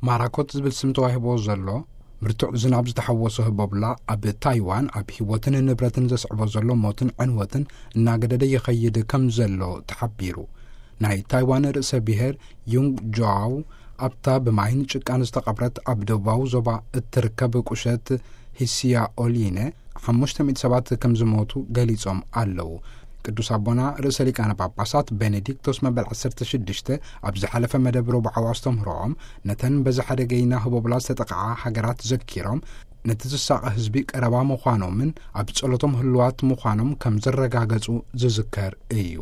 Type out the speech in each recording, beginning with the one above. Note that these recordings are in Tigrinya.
ማራኮት ዝብል ስም ተዋሂቦ ዘሎ ብርቱዕ ዝናብ ዝተሓወሶ ህቦብላ ኣብ ታይዋን ኣብ ህይወትን ንብረትን ዘስዕቦ ዘሎ ሞትን ዕንወትን እናገደደ ይኸይድ ከም ዘሎ ተሓቢሩ። ናይ ታይዋን ርእሰ ብሔር ዩንግ ጃው ኣብታ ብማይን ጭቃን ዝተቐብረት ኣብ ደቡባዊ ዞባ እትርከብ ቁሸት ሂስያ ኦሊነ ሓሙሽተ ሚእቲ ሰባት ከም ዝሞቱ ገሊጾም ኣለዉ። ቅዱስ ኣቦና ርእሰ ሊቃነ ጳጳሳት ቤኔዲክቶስ መበል ዓሰርተ ሽዱሽተ ኣብ ዝሓለፈ መደብ ረቡዓዊ ኣስተምህሮኦም፣ ነተን በዚ ሓደገይና ህቦብላ ዝተጠቕዓ ሃገራት ዘኪሮም፣ ነቲ ዝሳቐ ህዝቢ ቀረባ ምዃኖምን ኣብ ጸሎቶም ህልዋት ምዃኖም ከም ዘረጋገጹ ዝዝከር እዩ።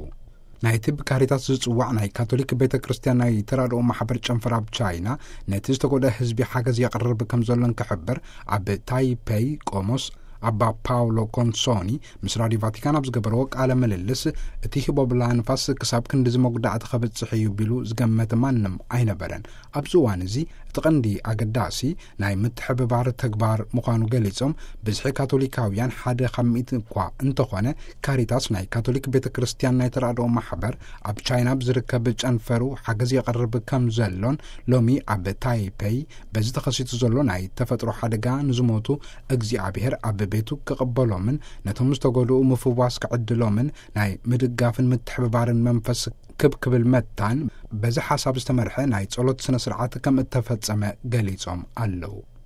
ናይቲ ብካሪታስ ዝጽዋዕ ናይ ካቶሊክ ቤተ ክርስቲያን ናይ ተራድኦ ማሕበር ጨንፈር ኣብ ቻይና፣ ነቲ ዝተጎድአ ህዝቢ ሓገዝ የቕርብ ከም ዘሎን ክሕብር፣ ኣብ ታይፔይ ቆሞስ ኣባ ፓውሎ ኮንሶኒ ምስ ራዲዮ ቫቲካን ኣብ ዝገበርዎ ቃለ ምልልስ፣ እቲ ህቦብላ ንፋስ ክሳብ ክንድዚ መጉዳእቲ ከብጽሕ እዩ ቢሉ ዝገመተ ማንም ኣይነበረን። ኣብዚ እዋን እዚ እቲ ቀንዲ ኣገዳሲ ናይ ምትሕብባር ተግባር ምዃኑ ገሊጾም፣ ብዝሒ ካቶሊካውያን ሓደ ካብ ሚእቲ እኳ እንተኾነ፣ ካሪታስ ናይ ካቶሊክ ቤተ ክርስቲያን ናይ ተራድኦ ማሕበር ኣብ ቻይና ብዝርከብ ጨንፈሩ ሓገዝ የቕርብ ከም ዘሎን፣ ሎሚ ኣብ ታይፔይ በዚ ተኸሲቱ ዘሎ ናይ ተፈጥሮ ሓደጋ ንዝሞቱ እግዚኣብሔር ኣብ ቤቱ ክቕበሎምን ነቶም ዝተጎድኡ ምፍዋስ ክዕድሎምን ናይ ምድጋፍን ምትሕብባርን መንፈስ ክብ ክብል መታን በዚ ሓሳብ ዝተመርሐ ናይ ጸሎት ስነ ስርዓት ከም እተፈጸመ ገሊጾም ኣለዉ።